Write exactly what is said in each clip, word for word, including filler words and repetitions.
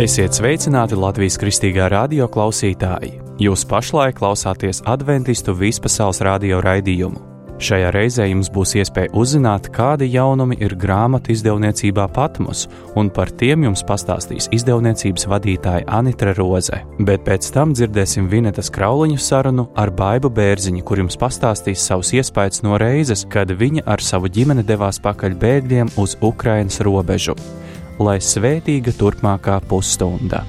Esiet sveicināti Latvijas Kristīgā radio klausītāji! Jūs pašlaik klausāties Adventistu vispasaules radio raidījumu. Šajā reizē jums būs iespēja uzzināt, kādi jaunumi ir grāmatu izdevniecībā Patmos, un par tiem jums pastāstīs izdevniecības vadītāja Anitra Roze. Bet pēc tam dzirdēsim Vinetas Krauliņu sarunu ar Baibu Bērziņu, kur jums pastāstīs savus iespējas no reizes, kad viņa ar savu ģimeni devās pakaļ bēgļiem uz Ukrainas robežu. Lai svētīga turpmākā pusstunda!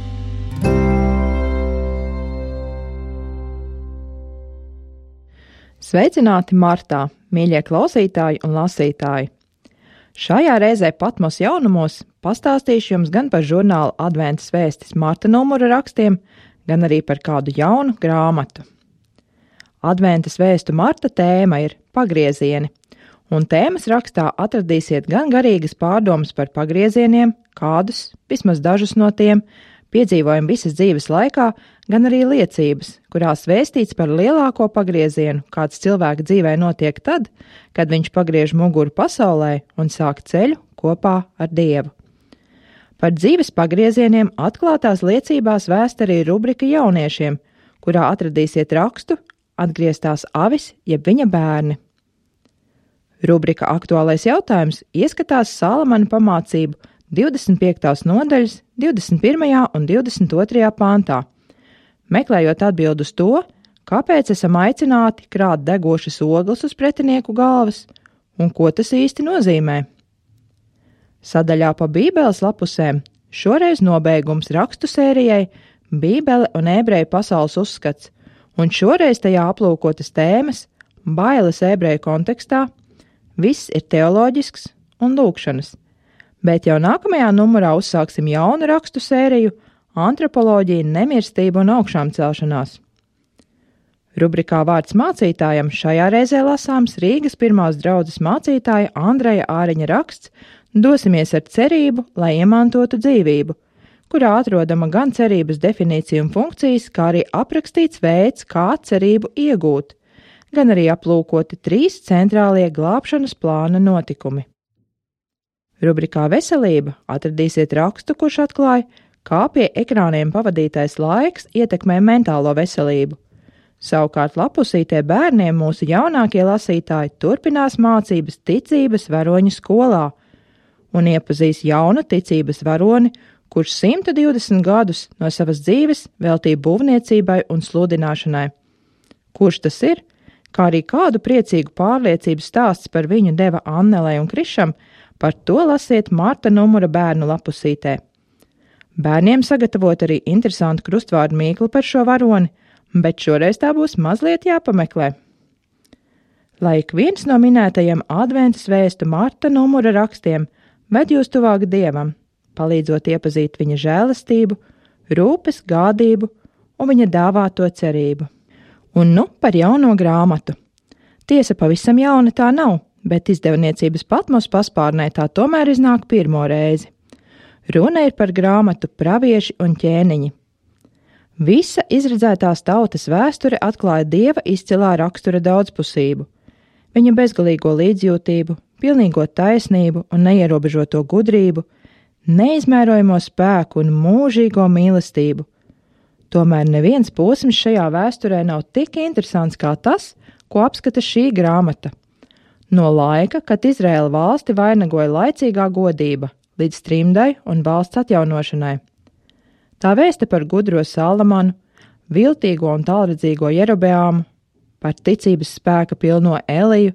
Sveicināti martā, mīļie klausītāji un lasītāji! Šajā reizē Patmos jaunumos pastāstīšu jums gan par žurnāla Adventas vēstis marta numura rakstiem, gan arī par kādu jaunu grāmatu. Adventas vēstu marta tēma ir pagriezieni, un tēmas rakstā atradīsiet gan garīgas pārdomas par pagriezieniem, kādus, vismaz dažus no tiem, piedzīvojam visas dzīves laikā, gan arī liecības, kurās vēstīts par lielāko pagriezienu, kāds cilvēka dzīvē notiek tad, kad viņš pagriež muguru pasaulē un sāk ceļu kopā ar Dievu. Par dzīves pagriezieniem atklātās liecībās vēsta arī rubrika jauniešiem, kurā atradīsiet rakstu Atgrieztās avis jeb viņa bērni. Rubrika Aktuālais jautājums ieskatās Salamana pamācību divdesmit piektās nodaļas divdesmit pirmajā un divdesmit otrajā pāntā, meklējot atbildi uz to, kāpēc esam aicināti krāt degošas ogles uz pretinieku galvas un ko tas īsti nozīmē. Sadaļā pa Bībeles lapusēm šoreiz nobeigums rakstu sērijai Bībele un ebreju pasaules uzskats, un šoreiz tajā aplūkotas tēmas bailes ebreju kontekstā, viss ir teoloģisks un lūkšanas. Bet jau nākamajā numurā uzsāksim jaunu rakstu sēriju Antropoloģija, nemirstība un augšām celšanās. Rubrikā Vārds mācītājam šajā reizē lasāms Rīgas pirmās draudzes mācītāja Andreja Āriņa raksts Dosimies ar cerību, lai iemantotu dzīvību, kurā atrodama gan cerības definīcija un funkcijas, kā arī aprakstīts veids, kā cerību iegūt, gan arī aplūkoti trīs centrālie glābšanas plāna notikumi. Rubrikā Veselība atradīsiet rakstu, kurš atklāja, kā pie ekrāniem pavadītais laiks ietekmē mentālo veselību. Savukārt lapusītē bērniem mūsu jaunākie lasītāji turpinās mācības ticības varoņu skolā un iepazīs jaunu ticības varoni, kurš simt divdesmit gadus no savas dzīves veltīja būvniecībai un sludināšanai. Kurš tas ir? Kā arī kādu priecīgu pārliecību stāsts par viņu deva Annelei un Krišam, par to lasiet marta numura bērnu lapusītē. Bērniem sagatavot arī interesantu krustvārdu mīklu par šo varoni, bet šoreiz tā būs mazliet jāpameklē. Lai ik viens no minētajiem Adventas vēstu marta numura rakstiem ved jūs tuvāk Dievam, palīdzot iepazīt viņa žēlastību, rūpes, gādību un viņa dāvāto cerību. Un nu par jauno grāmatu. Tiesa pavisam jauna tā nav, bet izdevniecības Patmos paspārnē tā tomēr iznāk pirmo reizi. Runa ir par grāmatu Pravieši un ķēniņi. Visa izredzētās tautas vēsture atklāja Dieva izcilā rakstura daudzpusību, viņa bezgalīgo līdzjūtību, pilnīgo taisnību un neierobežoto gudrību, neizmērojamo spēku un mūžīgo mīlestību. Tomēr neviens posms šajā vēsturē nav tik interesants kā tas, ko apskata šī grāmata. No laika, kad Izraēla valsti vainagoja laicīgā godība, līdz trimdai un valsts atjaunošanai. Tā vēsta par gudro Salamanu, viltīgo un tālredzīgo Jerobeāmu, par ticības spēka pilno Eliju,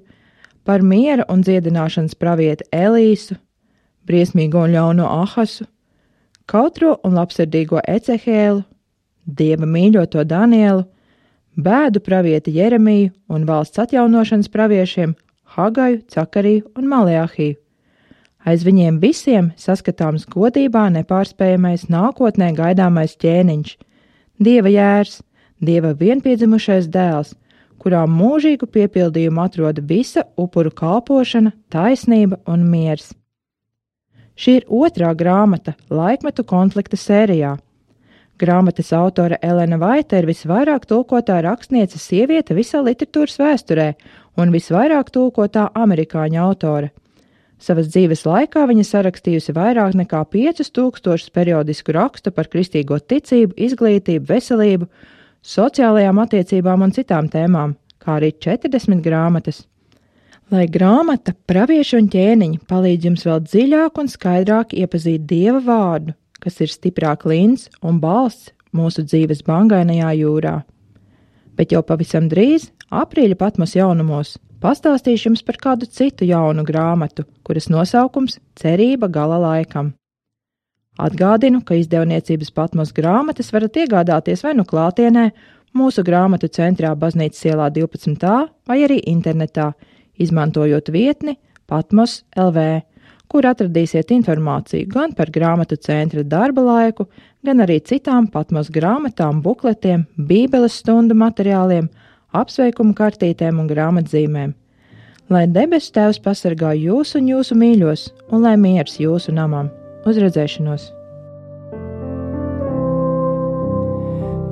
par miera un dziedināšanas pravieti Elīsu, briesmīgo un ļauno Ahasu, kautro un labsirdīgo Ecehēlu, Dieva mīļoto Danielu, bēdu pravieti Jeremiju un valsts atjaunošanas praviešiem Hagaju, Cakariju un Maleahiju. Aiz viņiem visiem saskatāms godībā nepārspējamais nākotnē gaidāmais ķēniņš, Dieva jērs, Dieva vienpiedzimušais dēls, kurā mūžīgu piepildījumu atrod visa upuru kalpošana, taisnība un miers. Šī ir otrā grāmata laikmetu konflikta sērijā. Grāmatas autore Elena Vaita ir visvairāk tulkotā rakstniece sieviete visā literatūras vēsturē un visvairāk tulkotā amerikāņu autore. Savas dzīves laikā viņa sarakstījusi vairāk nekā piecus tūkstošus periodisku rakstu par kristīgo ticību, izglītību, veselību, sociālajām attiecībām un citām tēmām, kā arī četrdesmit grāmatas. Lai grāmata Pravieši un ķēniņi palīdz jums vēl dziļāk un skaidrāk iepazīt Dieva vārdu, kas ir stiprā klints un balsts mūsu dzīves bangainajā jūrā. Bet jau pavisam drīz, aprīļa Patmos jaunumos, pastāstīšu jums par kādu citu jaunu grāmatu, kuras nosaukums Cerība gala laikam. Atgādinu, ka izdevniecības Patmos grāmatas varat iegādāties vai nu klātienē, mūsu grāmatu centrā Baznīcas ielā divpadsmit A vai arī internetā, izmantojot vietni Patmos L V, kur atradīsiet informāciju gan par grāmatu centra darba laiku, gan arī citām Patmos grāmatām, bukletiem, bībeles stundu materiāliem, apsveikumu kartītēm un grāmatzīmēm. Lai debesu Tēvs pasargā jūs un jūsu mīļos, un lai miers jūsu namam. Uz redzēšanos!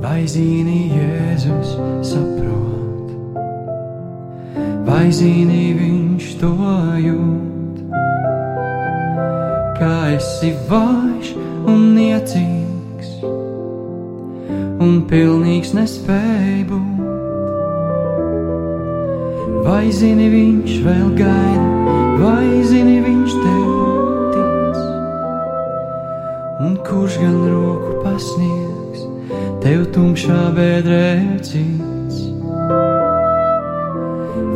Vai zini, Jēzus saprot, vai zini, viņš to jūt, kā esi vājš un niecīgs, un pilnīgs nespēj būt. Vai zini, viņš vēl gaida, vai zini, viņš tev tic, un kurš gan roku pasniegs, tev tumšā bedrē cits.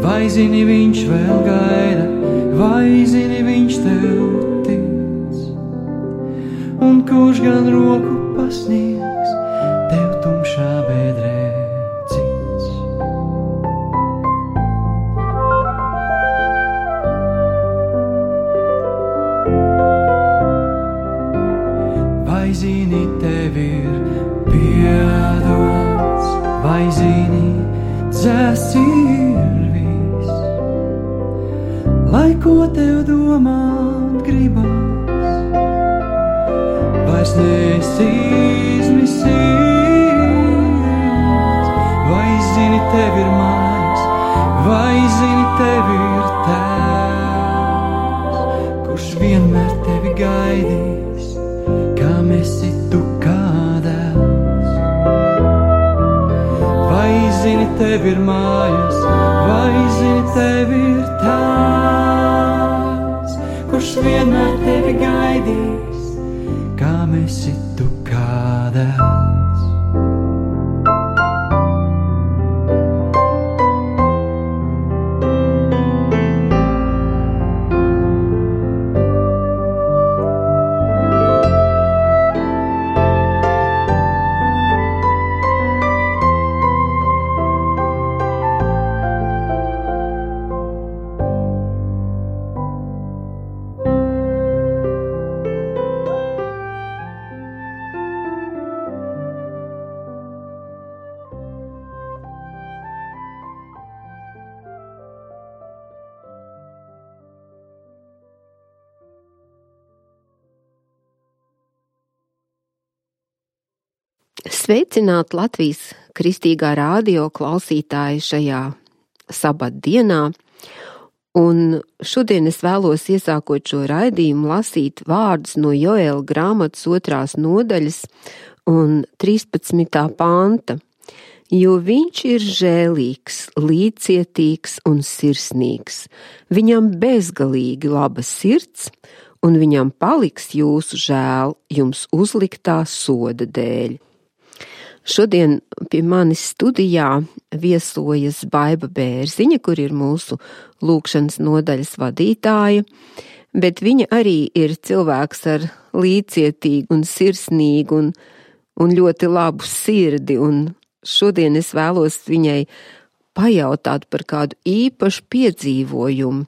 Vai zini, viņš vēl gaida, vai zini, viņš tev tic, un kurš gan roku pasniegs, tev tumšā bedrē. Vai zini, tev ir piedots, vai zini, dzēsts ir viss, lai ko tev domāt gribas, vairs neesi izmisīts. Vai zini, tev ir mājas, vai zini, tev ir tēvs, kurš vienmēr tevi gaidīs, kam esi tu kā dēls. Vai zini, tev ir mājas, vai zini, tev ir tēvs, kurš vienmēr tevi gaidīs, kam esi tu kā dēls. Sveicināt Latvijas kristīgā rādio klausītāji šajā sabatdienā, un šodien es vēlos iesākot šo raidījumu lasīt vārdus no Joēla grāmatas otrās nodaļas un trīspadsmitā panta, jo viņš ir žēlīgs, līdzcietīgs un sirsnīgs, viņam bezgalīgi laba sirds, un viņam paliks jūsu žēl jums uzliktā soda dēļ. Šodien pie manis studijā viesojas Baiba Bērziņa, kur ir mūsu lūkšanas nodaļas vadītāja, bet viņa arī ir cilvēks ar līdzcietīgu un sirsnīgu un, un ļoti labu sirdi, un šodien es vēlos viņai pajautāt par kādu īpašu piedzīvojumu.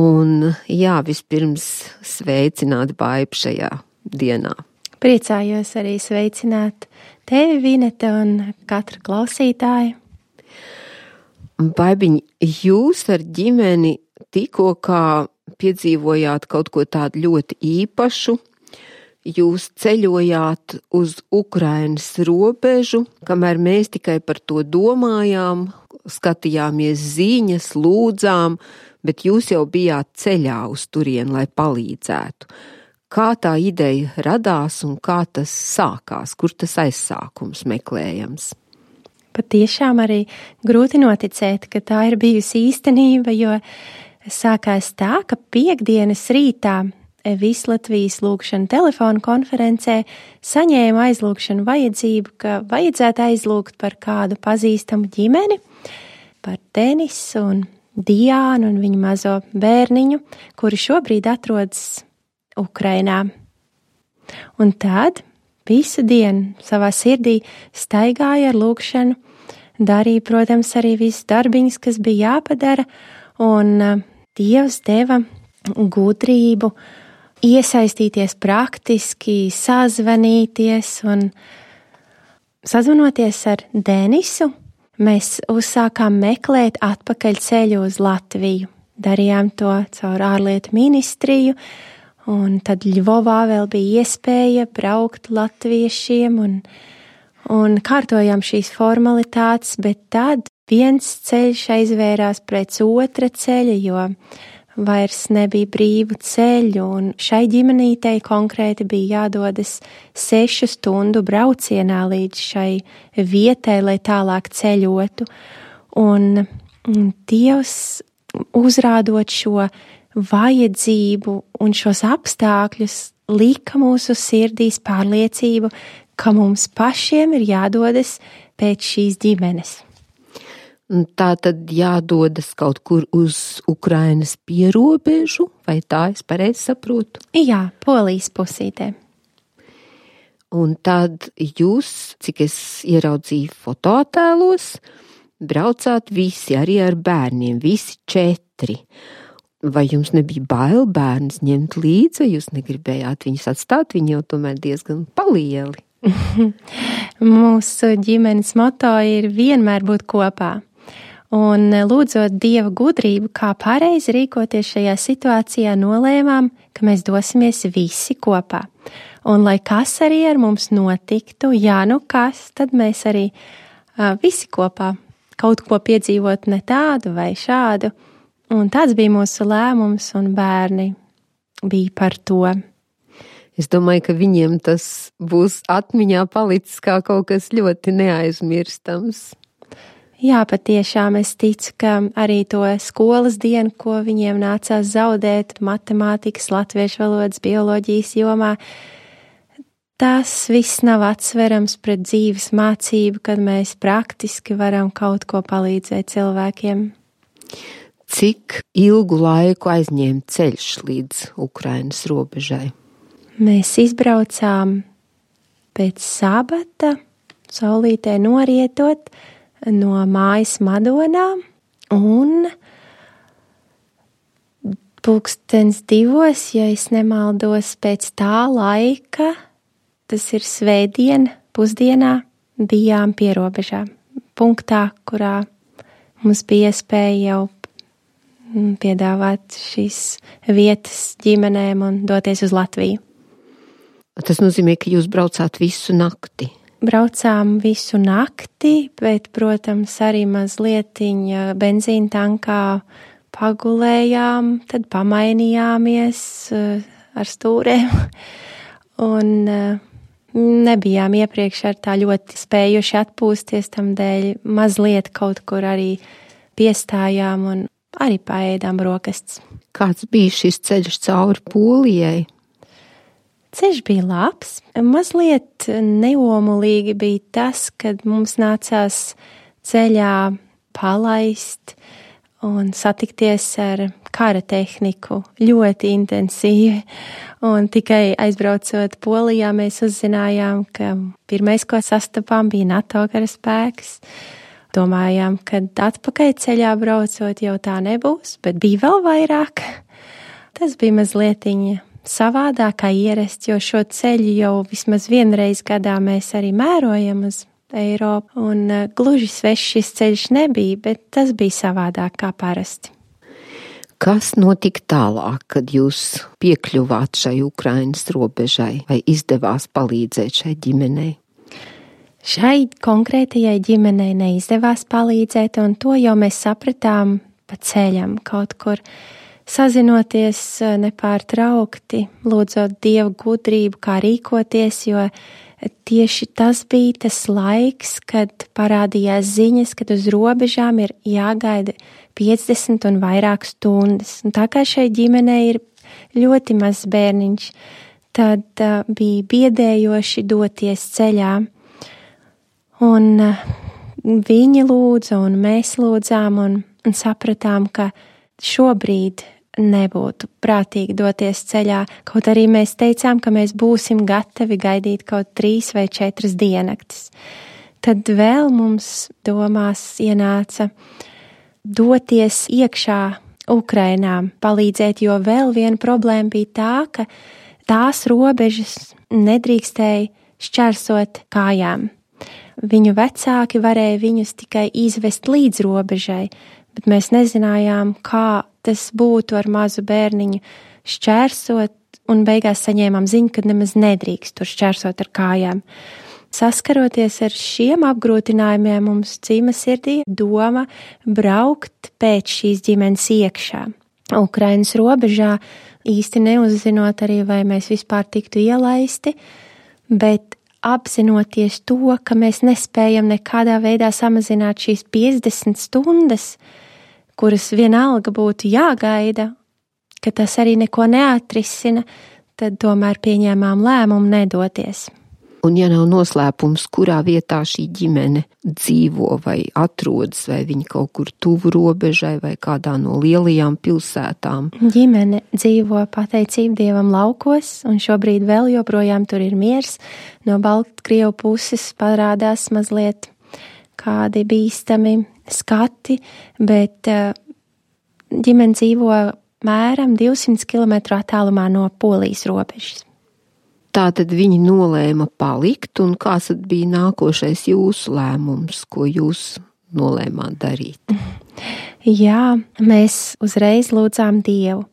Un jā, vispirms sveicināt Baibu šajā dienā. Priecājos arī sveicināt tevi, Vineta, un katru klausītāju. Baibiņ, jūs ar ģimeni tikko kā piedzīvojāt kaut ko tādu ļoti īpašu. Jūs ceļojāt uz Ukrainas robežu, kamēr mēs tikai par to domājām, skatījāmies ziņas, lūdzām, bet jūs jau bijāt ceļā uz turieni, lai palīdzētu. Kā tā ideja radās un kā tas sākās, kur tas aizsākums meklējams? Patiešām arī grūti noticēt, ka tā ir bijusi īstenība, jo sākās tā, ka piekdienas rītā Vislatvijas lūgšana telefonu konferencē saņēma aizlūgšanu vajadzību, ka vajadzētu aizlūgt par kādu pazīstamu ģimeni, par Denisu un Diānu un viņu mazo bērniņu, kuri šobrīd atrodas Ukrainā. Un tad visu dienu savā sirdī staigāja ar lūgšanu, darīja, protams, arī visus darbiņus, kas bija jāpadara, un Dievs deva gudrību iesaistīties praktiski, sazvanīties un sazvanoties ar Denisu. Mēs uzsākām meklēt atpakaļ ceļu uz Latviju. Darījām to caur ārlietu ministriju, un tad Ļvovā vēl bija iespēja braukt latviešiem un, un kārtojām šīs formalitātes, bet tad viens ceļš aizvērās pēc otra ceļa, jo vairs nebija brīvu ceļu, un šai ģimenītei konkrēti bija jādodas sešu stundu braucienā līdz šai vietai, lai tālāk ceļotu. Un Dievs, uzrādot šo vajadzību un šos apstākļus, lika mūsu sirdīs pārliecību, ka mums pašiem ir jādodas pēc šīs ģimenes. Tā tad jādodas kaut kur uz Ukrainas pierobežu, vai tā es pareizi saprotu? Jā, Polijas pusītē. Un tad jūs, cik es ieraudzīju fotoattēlos, braucāt visi, arī ar bērniem, visi četri. Vai jums nebija bail bērnus ņemt līdzi, vai jūs negribējāt viņus atstāt, viņi jau tomēr diezgan palieli? Mūsu ģimenes moto ir vienmēr būt kopā. Un lūdzot Dieva gudrību, kā pareizi rīkoties šajā situācijā, nolēmām, ka mēs dosimies visi kopā. Un lai kas arī ar mums notiktu, jā, nu kas, tad mēs arī uh, visi kopā kaut ko piedzīvot ne tādu vai šādu. Un tāds bija mūsu lēmums, un bērni bija par to. Es domāju, ka viņiem tas būs atmiņā palicis kā kaut kas ļoti neaizmirstams. Jā, patiešām es ticu, ka arī to skolas dienu, ko viņiem nācās zaudēt matemātikas, latviešu valodas, bioloģijas jomā, tas viss nav atsverams pret dzīves mācību, kad mēs praktiski varam kaut ko palīdzēt cilvēkiem. Cik ilgu laiku aizņēma ceļš līdz Ukrainas robežai? Mēs izbraucām pēc sabata, saulītē norietot, no mājas Madonā, un pulkstens divos, ja es nemaldos, pēc tā laika, tas ir svētdiena, pusdienā, bijām pie robežā, punktā, kurā mums bija iespēja jau piedāvāt šīs vietas ģimenēm un doties uz Latviju. Tas nozīmē, ka jūs braucāt visu nakti? Braucām visu nakti, bet, protams, arī mazlietiņa benzīna tankā pagulējām, tad pamainījāmies ar stūrēm un nebijām iepriekš ar tā ļoti spējuši atpūsties, tam dēļ mazliet kaut kur arī piestājām un arī paēdām brokastis. Kāds bija šis ceļš cauri Polijai? Ceļš bija labs, mazliet neomulīgi bija tas, kad mums nācās ceļā palaist un satikties ar kara tehniku ļoti intensīvi. Un tikai aizbraucot Polijā, mēs uzzinājām, ka pirmais, ko sastapām, bija NATO karaspēks. Domājām, ka atpakaļ ceļā braucot jau tā nebūs, bet bija vēl vairāk. Tas bija mazlietiņa savādāk kā ierasts, jo šo ceļu jau vismaz vienreiz gadā mēs arī mērojam uz Eiropu, un uh, gluži svešs šis ceļš nebija, bet tas bija savādāk kā parasti. Kas notika tālāk, kad jūs piekļuvāt šai Ukrainas robežai, vai izdevās palīdzēt šai ģimenei? Šai konkrētajai ģimenei neizdevās palīdzēt, un to jau mēs sapratām pa ceļam, kaut kur sazinoties nepārtraukti, lūdzot Dievu gudrību, kā rīkoties, jo tieši tas bija tas laiks, kad parādījās ziņas, kad uz robežām ir jāgaida piecdesmit un vairāk stundas. Un tā kā šai ģimenei ir ļoti mazs bērniņš, tad uh, bija biedējoši doties ceļā. Un uh, viņi lūdza un mēs lūdzām un, un sapratām, ka šobrīd nebūtu prātīgi doties ceļā, kaut arī mēs teicām, ka mēs būsim gatavi gaidīt kaut trīs vai četras diennaktis. Tad vēl mums domās ienāca doties iekšā Ukrainā, palīdzēt, jo vēl viena problēma bija tā, ka tās robežas nedrīkstēja šķērsot kājām. Viņu vecāki varēja viņus tikai izvest līdz robežai, bet mēs nezinājām, kā tas būtu ar mazu bērniņu šķērsot, un beigās saņēmām ziņu, ka nemaz nedrīkst tur šķērsot ar kājām. Saskaroties ar šiem apgrūtinājumiem, mums cīma sirdī doma braukt pēc šīs ģimenes iekšā. Ukrainas robežā, īsti neuzzinot arī, vai mēs vispār tiktu ielaisti, bet apzinoties to, ka mēs nespējam nekādā veidā samazināt šīs piecdesmit stundas, kuras vienalga būtu jāgaida, ka tas arī neko neatrisina, tad tomēr pieņēmām lēmumu nedoties. Un ja nav noslēpums, kurā vietā šī ģimene dzīvo vai atrodas, vai viņi kaut kur tuvu robežai vai kādā no lielajām pilsētām? Ģimene dzīvo pateicību Dievam laukos, un šobrīd vēl joprojām tur ir miers. No Baltkrievu puses parādās mazliet kādi bīstami skati, bet ģimene dzīvo mēram divsimt kilometru attālumā no Polijas robežas. Tātad viņi nolēma palikt, un kāds tad bija nākošais jūsu lēmums, ko jūs nolēmāt darīt? Jā, mēs uzreiz lūdzām Dievu.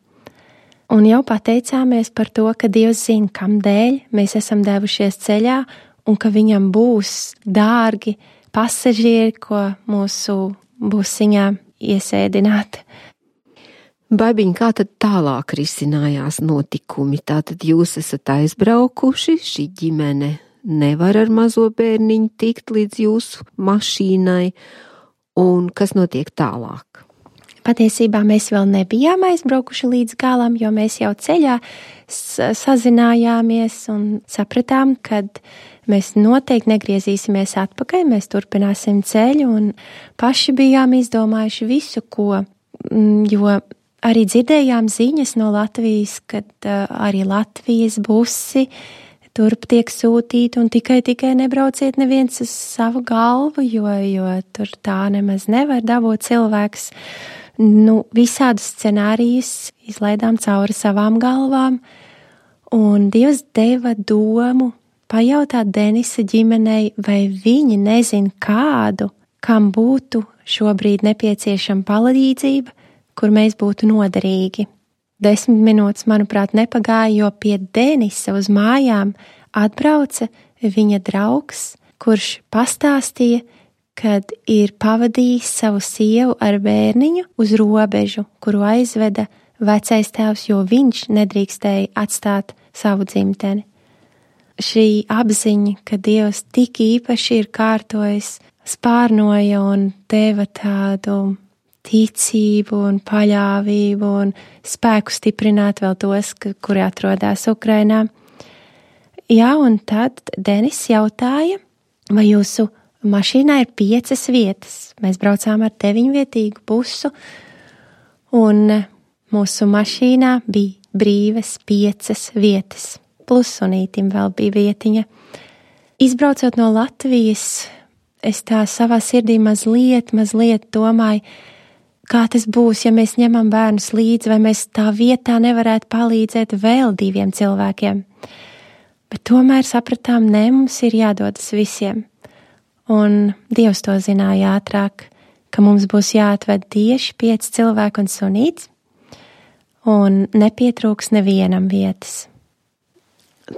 Un jau pateicāmies par to, ka Dievs zina, kam dēļ mēs esam devušies ceļā, un ka viņam būs dārgi pasažieri, ko mūsu busiņā iesēdināt. Baibiņ, kā tad tālāk risinājās notikumi? Tātad jūs esat aizbraukuši, šī ģimene nevar ar mazo bērniņu tikt līdz jūsu mašīnai, un kas notiek tālāk? Patiesībā mēs vēl nebijām aizbraukuši līdz galam, jo mēs jau ceļā sazinājāmies un sapratām, kad mēs noteikti negriezīsimies atpakaļ, mēs turpināsim ceļu, un paši bijām izdomājuši visu, ko, jo arī dzirdējām ziņas no Latvijas, kad uh, arī Latvijas busi turp tiek sūtīti, un tikai, tikai nebrauciet neviens uz savu galvu, jo, jo tur tā nemaz nevar dabūt cilvēks. Nu, visādus scenārijus izlaidām cauri savām galvām, un Dievs deva domu pajautāt Denisa ģimenei, vai viņi nezin kādu, kam būtu šobrīd nepieciešama palīdzība, kur mēs būtu noderīgi. Desmit minūtes, manuprāt, nepagāja, jo pie Denisa uz mājām atbrauca viņa draugs, kurš pastāstīja, kad ir pavadījis savu sievu ar bērniņu uz robežu, kuru aizveda vecais tēvs, jo viņš nedrīkstēja atstāt savu dzimteni. Šī apziņa, ka Dievs tik īpaši ir kārtojis, spārnoja un deva tādu ticību un paļāvību un spēku stiprināt vēl tos, kuri atrodas Ukrainā. Jā, un tad Denis jautāja, vai jūsu mašīnā ir piecas vietas. Mēs braucām ar deviņvietīgu busu, un mūsu mašīnā bija brīvas piecas vietas. Plus sunītim vēl bija vietiņa. Izbraucot no Latvijas, es tā savā sirdī mazliet, mazliet domāju, kā tas būs, ja mēs ņemam bērnus līdzi, vai mēs tā vietā nevarētu palīdzēt vēl diviem cilvēkiem. Bet tomēr sapratām, ne, mums ir jādodas visiem. Un Dievs to zināja ātrāk, ka mums būs jāatved tieši pieci cilvēki un sunīts, un nepietrūks nevienam vietas.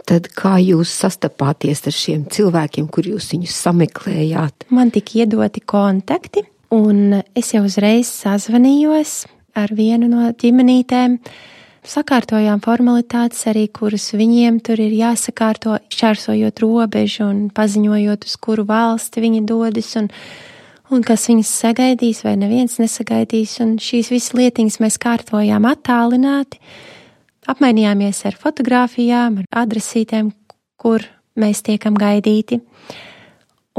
Tad kā jūs sastapāties ar šiem cilvēkiem, kur jūs viņus sameklējāt? Man tika iedoti kontakti Un es jau uzreiz sazvanījos ar vienu no ģimenītēm, sakārtojām formalitātes arī, kuras viņiem tur ir jāsakārto, šķērsojot robežu un paziņojot, uz kuru valsti viņi dodas un, un kas viņas sagaidīs vai neviens nesagaidīs. Un šīs visas lietiņas mēs kārtojām attālināti, apmainījāmies ar fotogrāfijām, ar adresītēm, kur mēs tiekam gaidīti.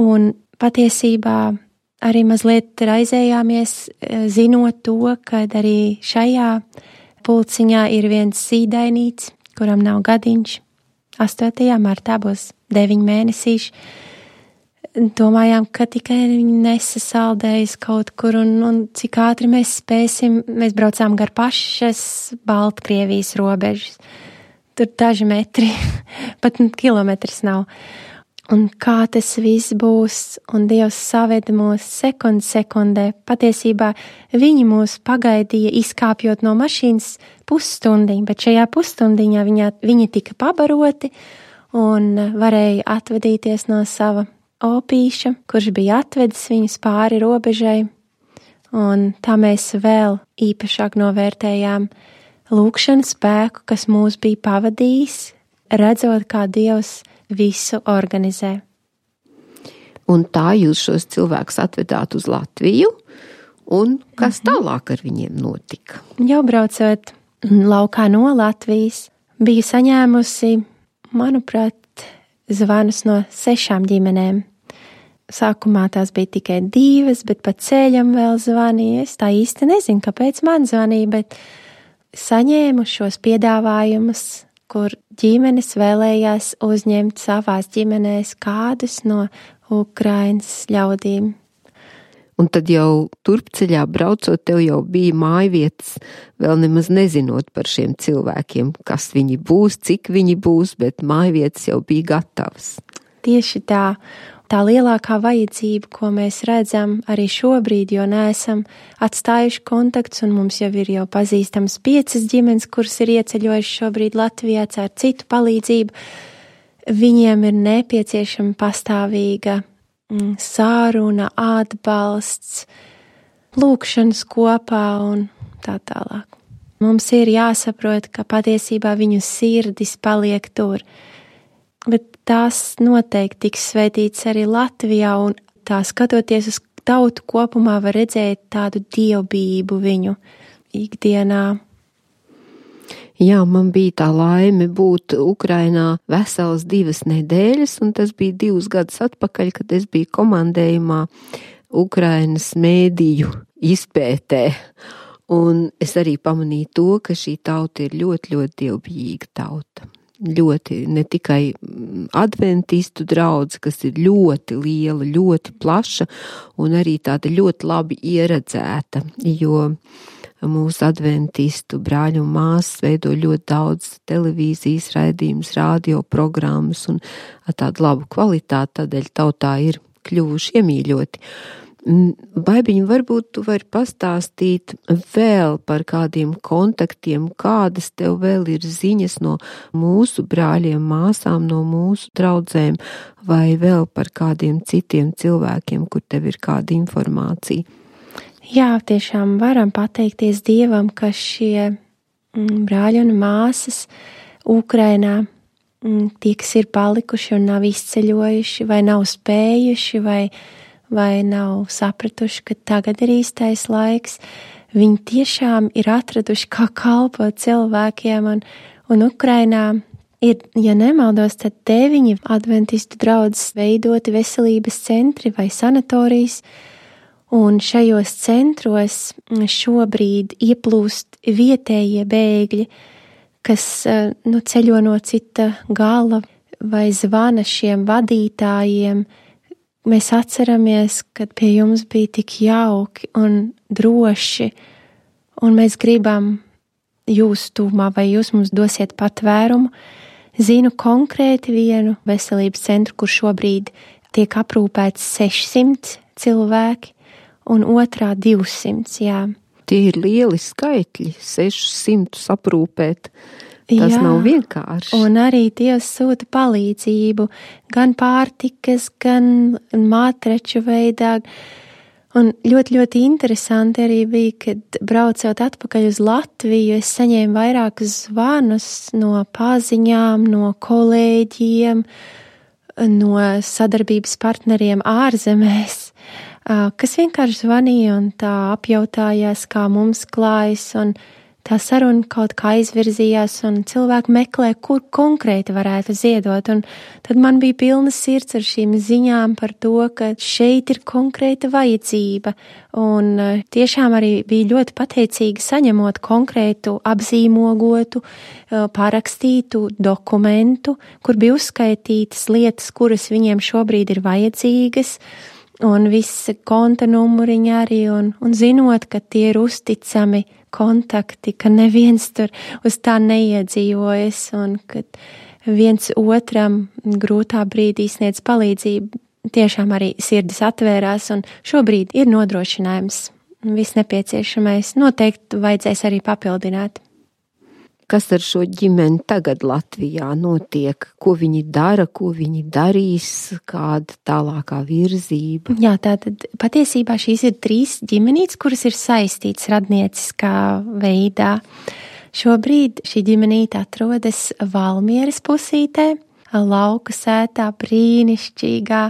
Un patiesībā arī mazliet raizējāmies, zinot to, ka arī šajā pulciņā ir viens zīdainīts, kuram nav gadiņš. astotajā martā būs deviņi mēnesīši. Domājām, ka tikai viņi nesasaldējas kaut kur un, un cik ātri mēs spēsim. Mēs braucām gar pašas Baltkrievijas robežas. Tur daži metri, pat kilometrs nav. Un kā tas viss būs, un Dievs saveda mūs sekundi sekundē. Patiesībā viņi mūs pagaidīja izkāpjot no mašīnas pusstundiņu, bet šajā pusstundiņā viņa, viņi tika pabaroti un varēja atvadīties no sava opīša, kurš bija atvedis viņus pāri robežai. Un tā mēs vēl īpašāk novērtējām lūkšanu spēku, kas mūs bija pavadījis, redzot, kā Dievs visu organizē. Un tā jūs šos cilvēkus atvedāt uz Latviju, un kas mm-hmm. tālāk ar viņiem notika? Jau braucot laukā no Latvijas, biju saņēmusi, manuprāt, zvanus no sešām ģimenēm. Sākumā tās bija tikai divas, bet pa ceļam vēl zvanīja. Es tā īsti nezinu, kāpēc man zvanīja, bet saņēmu šos piedāvājumus, kur ģimenes vēlējās uzņemt savās ģimenēs kādus no Ukrainas ļaudīm. Un tad jau turpceļā braucot, tev jau bija mājvietas, vēl nemaz nezinot par šiem cilvēkiem, kas viņi būs, cik viņi būs, bet mājvietas jau bija gatavas. Tieši tā. Tā lielākā vajadzība, ko mēs redzam arī šobrīd, jo neesam atstājuši kontakts, un mums jau ir jau pazīstams piecas ģimenes, kuras ir ieceļojuši šobrīd Latvijā ar citu palīdzību. Viņiem ir nepieciešama pastāvīga mm, sāruna, atbalsts, lūkšanas kopā un tā tālāk. Mums ir jāsaprot, ka patiesībā viņu sirdis paliek tur. Bet tās noteikti tiks svētīts arī Latvijā, un tā skatoties uz tautu kopumā var redzēt tādu dievbijību viņu ikdienā. Jā, man bija tā laime būt Ukrainā veselas divas nedēļas, un tas bija divus gadus atpakaļ, kad es biju komandējumā Ukrainas mēdīju izpētē. Un es arī pamanīju to, ka šī tauta ir ļoti, ļoti dievbijīga tauta. Ļoti, ne tikai adventistu draudze, kas ir ļoti liela, ļoti plaša un arī tāda ļoti labi ieredzēta, jo mūsu adventistu brāļu un māsas veido ļoti daudz televīzijas raidījumus, radio programmas un tādu labu kvalitāti, tādēļ tautā ir kļuvuši iemīļoti. Baibiņ, varbūt tu vari pastāstīt vēl par kādiem kontaktiem, kādas tev vēl ir ziņas no mūsu brāļiem, māsām, no mūsu draudzēm, vai vēl par kādiem citiem cilvēkiem, kur tev ir kāda informācija? Jā, tiešām varam pateikties Dievam, ka šie brāļi un māsas Ukrainā, tie, kas ir palikuši un nav izceļojuši, vai nav spējuši, vai vai nav sapratuši, ka tagad ir īstais laiks. Viņi tiešām ir atraduši, kā kalpot cilvēkiem, un, un Ukrainā ir, ja nemaldos, tad deviņi adventistu draudzes veidoti veselības centri vai sanatorijas, un šajos centros šobrīd ieplūst vietējie bēgļi, kas nu, ceļo no cita gala vai zvana šiem vadītājiem. Mēs atceramies, kad pie jums bija tik jauki un droši, un mēs gribam jūs tūmā, vai jūs mums dosiet patvērumu. Zinu konkrēti vienu veselības centru, kur šobrīd tiek aprūpēts sešsimt cilvēki, un otrā divsimt, jā. Tie ir lieli skaitļi, sešsimt aprūpēt. Tas Jā, nav vienkārši. Un arī Dievs sūta palīdzību, gan pārtikas, gan mātreču veidā. Un ļoti, ļoti interesanti arī bija, kad braucot atpakaļ uz Latviju, es saņēmu vairākus zvanus no paziņām, no kolēģiem, no sadarbības partneriem ārzemēs, kas vienkārši zvanīja un tā apjautājās, kā mums klājas, un tā saruna kaut kā aizvirzījās, un cilvēki meklē, kur konkrēti varētu ziedot, un tad man bija pilna sirds ar šīm ziņām par to, ka šeit ir konkrēta vajadzība, un tiešām arī bija ļoti pateicīga saņemot konkrētu apzīmogotu, parakstītu dokumentu, kur bija uzskaitītas lietas, kuras viņiem šobrīd ir vajadzīgas, un visi konta numuriņi arī, un, un zinot, ka tie ir uzticami kontakti, ka neviens tur uz tā neiedzīvojas, un ka viens otram grūtā brīdī sniedz palīdzību, tiešām arī sirdis atvērās, un šobrīd ir nodrošinājums viss nepieciešamais. Noteikti vajadzēs arī papildināt. Kas ar šo ģimeni tagad Latvijā notiek? Ko viņi dara, ko viņi darīs, kāda tālākā virzība? Jā, tātad patiesībā šīs ir trīs ģimenītes, kuras ir saistītas radnieciskā veidā. Šobrīd šī ģimenīte atrodas Valmieras pusītē, lauka sētā, brīnišķīgā.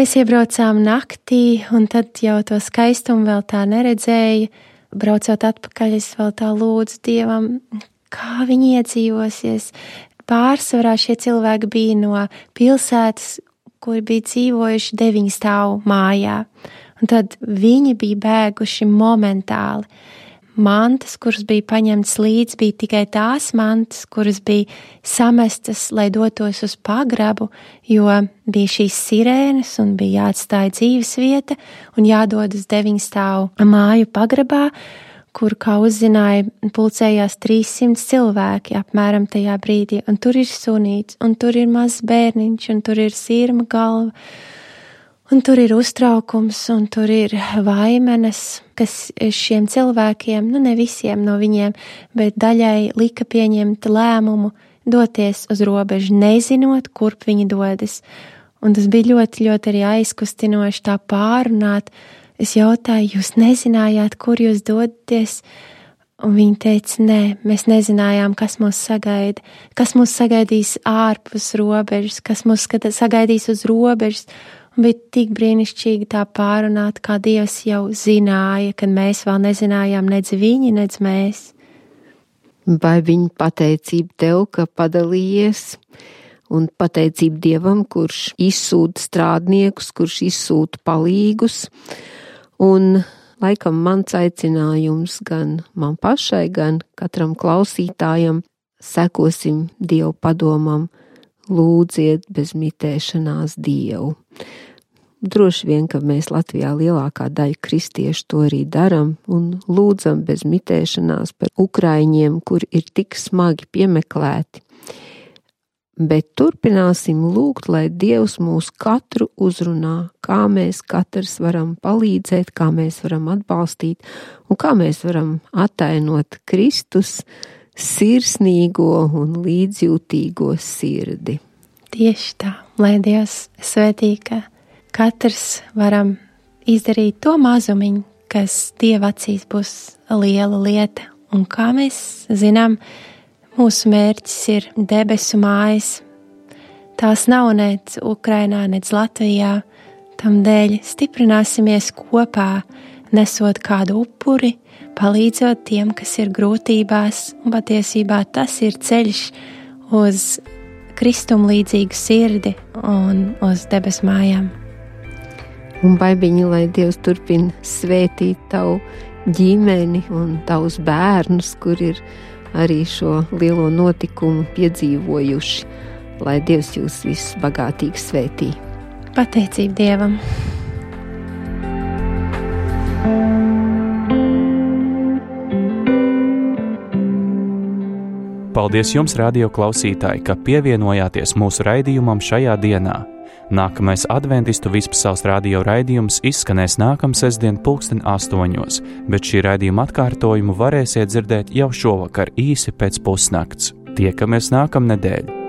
Mēs iebraucām naktī, un tad jau to skaistumu vēl tā neredzēja. Braucot atpakaļ, es vēl tā lūdzu Dievam, kā viņi iedzīvosies. Pārsvarā šie cilvēki bija no pilsētas, kuri bija dzīvojuši deviņu stāvu mājā. Un tad viņi bija bēguši momentāli. Mantas, kuras bija paņemtas līdz, bija tikai tās mantas, kuras bija samestas, lai dotos uz pagrabu, jo bija šīs sirēnas un bija jāatstāja dzīves vieta un jādodas deviņu stāvu māju pagrabā, kur, kā uzzināja, pulcējās trīssimts cilvēki apmēram tajā brīdī, un tur ir sunīts, un tur ir mazs bērniņš, un tur ir sirma galva, un tur ir uztraukums, un tur ir vaimenes, kas šiem cilvēkiem, nu ne visiem no viņiem, bet daļai lika pieņemt lēmumu doties uz robežu, nezinot, kurp viņi dodas. Un tas bija ļoti, ļoti arī aizkustinoši tā pārunāt. Es jautāju, jūs nezinājāt, kur jūs dodaties? Un viņi teica, nē, mēs nezinājām, kas mūs sagaida, kas mūs sagaidīs ārpus robežas, kas mūs sagaidīs uz robežas. Un bija tik brīnišķīgi tā pārunāt, kā Dievs jau zināja, kad mēs vēl nezinājām nedz viņi, nedz mēs. Vai viņa pateicība tev, ka padalījies, un pateicība Dievam, kurš izsūta strādniekus, kurš izsūta palīgus, un laikam mans aicinājums gan man pašai, gan katram klausītājam, sekosim Dievu padomam, lūdziet bez mitēšanās Dievu. Droši vien, ka mēs Latvijā lielākā daļa kristiešu to arī daram un lūdzam bez mitēšanās par ukraiņiem, kur ir tik smagi piemeklēti. Bet turpināsim lūgt, lai Dievs mūs katru uzrunā, kā mēs katrs varam palīdzēt, kā mēs varam atbalstīt un kā mēs varam attainot Kristus sirsnīgo un līdzjūtīgo sirdi. Tieši tā, lai Dievs svētī, ka katrs varam izdarīt to mazumiņu, kas Dieva acīs būs liela lieta. Un kā mēs zinām, mūsu mērķis ir debesu mājas. Tās nav nec Ukrainā, nec Latvijā. Tam dēļ stiprināsimies kopā, nesot kādu upuri, palīdzot tiem, kas ir grūtībās, un patiesībā tas ir ceļš uz Kristum līdzīgu sirdi un uz debes mājām. Un baibiņi, lai Dievs turpina svētīt tavu ģimeni un tavus bērnus, kur ir arī šo lielo notikumu piedzīvojuši, lai Dievs jūs visus bagātīgi svētī. Pateicība Dievam! Paldies jums, radio klausītāji, ka pievienojāties mūsu raidījumam šajā dienā. Nākamais adventistu Vispasaules radio raidījums izskanēs nākamā sestdien pulksten astoņos, bet šī raidījuma atkārtojumu varēsiet dzirdēt jau šovakar īsi pēc pusnakts. Tiekamies nākamnedēļ!